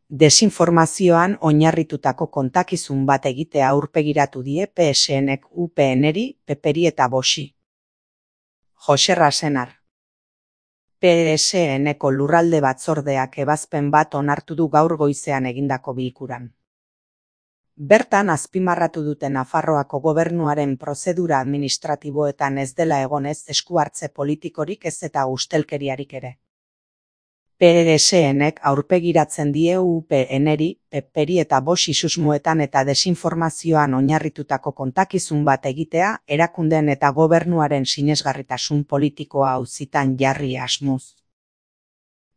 Desinformazioan oinarritutako kontakizun bat egitea aurpegiratu die PSNek UPNri, PPri eta Voxi. Joxerra Senar. PSNeko lurralde batzordeak ebazpen bat onartu du gaur goizean egindako bilkuran. Bertan azpimarratu dute Nafarroako gobernuaren prozedura administratiboetan ez dela egon ez esku hartze politikorik ez eta ustelkeriarik ere. PSNek aurpegiratzen die UPNri, PPri eta Voxi susmoetan eta desinformazioan oinarritutako kontakizun bat egitea erakundeen eta gobernuaren sinesgarritasun politikoa auzitan jarri asmoz.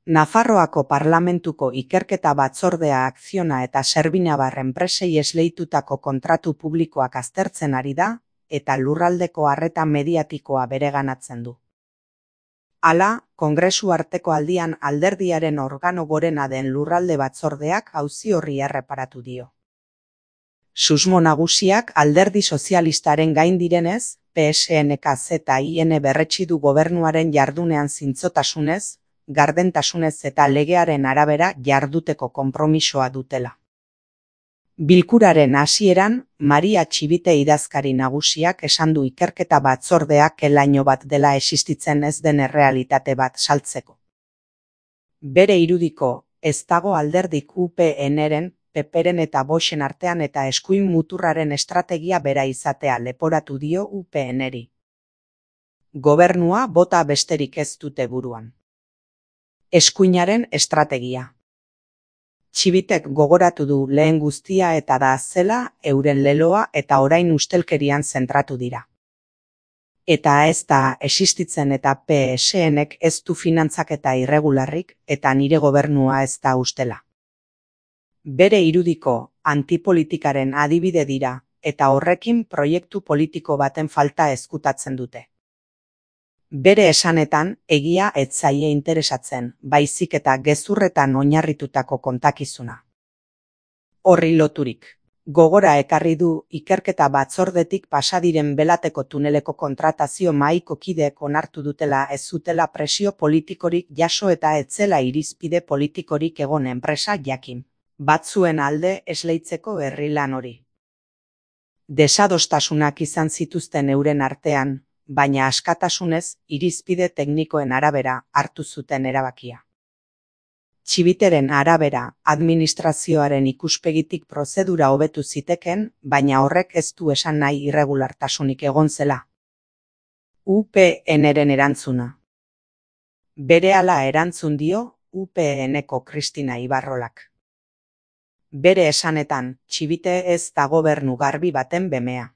Nafarroako Parlamentuko Ikerketa Batzordea Akziona eta Servinabar enpresei esleitutako kontratu publikoak aztertzen ari da eta lurraldeko arreta mediatikoa bereganatzen du. Hala, Kongresu arteko aldian alderdiaren organo gorena den lurralde batzordeak auzi horri erreparatu dio. Susmo nagusiak alderdi sozialistaren gain direnez, PSNK-ZIN berretsi du gobernuaren jardunean zintzotasunez, gardentasunez eta legearen arabera jarduteko konpromisoa dutela. Bilkuraren hasieran, Maria Txibite idazkari nagusiak esan du ikerketa batzordeak elaino bat dela existitzen ez den errealitate bat saltzeko. Bere irudiko, ez dago alderdik UPNren, PPren eta Voxen artean eta eskuin muturraren estrategia bera izatea leporatu dio UPNri. Gobernua bota besterik ez dute buruan. Eskuinaren estrategia. Txibitek gogoratu du lehen guztia eta da zela euren leloa eta orain ustelkerian zentratu dira. Eta ez da existitzen eta PSNek ez du finantzaketa irregularrik eta nire gobernua ez da ustela. Bere irudiko antipolitikaren adibide dira eta horrekin proiektu politiko baten falta ezkutatzen dute. Bere esanetan, egia ez zaie interesatzen, baizik eta gezurretan oinarritutako kontakizuna. Horri loturik, gogora ekarri du ikerketa batzordetik pasadiren Belateko tuneleko kontratazio mahaiko kideek onartu dutela ez zutela presio politikorik jaso eta ez zela irizpide politikorik egon enpresa jakin, batzuen alde esleitzeko herri lan hori. Desadostasunak izan zituzten euren artean, baina askatasunez irizpide teknikoen arabera hartu zuten erabakia. Txibiteren arabera, administrazioaren ikuspegitik prozedura hobetu ziteken, baina horrek ez du esan nahi irregulartasunik egon zela. UPNren erantzuna. Berehala erantzun dio UPNeko Kristina Ibarrolak. Bere esanetan, Txibite ez da gobernu garbi baten bemea.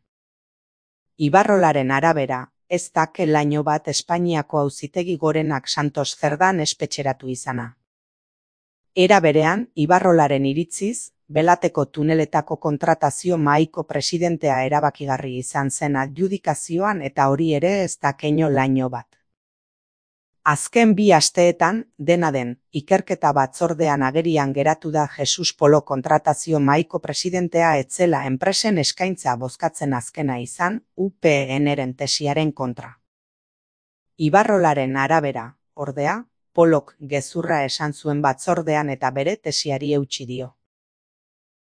Ibarrolaren arabera, ez da laino bat Espainiako Auzitegi Gorenak Santos Cerdan espetxeratu izana. Era berean, Ibarrolaren iritziz, Belateko tuneletako kontratazio mahaiko presidentea erabakigarri izan zen adjudikazioan eta hori ere ez da laino bat. Azken 2 asteetan, dena den, ikerketa batzordean agerian geratu da Jesus Polo kontratazio mahaiko presidentea etzela enpresen eskaintza bozkatzen azkena izan, UPNren tesiaren kontra. Ibarrolaren arabera, ordea, Polok gezurra esan zuen batzordean eta bere tesiari eutsi dio.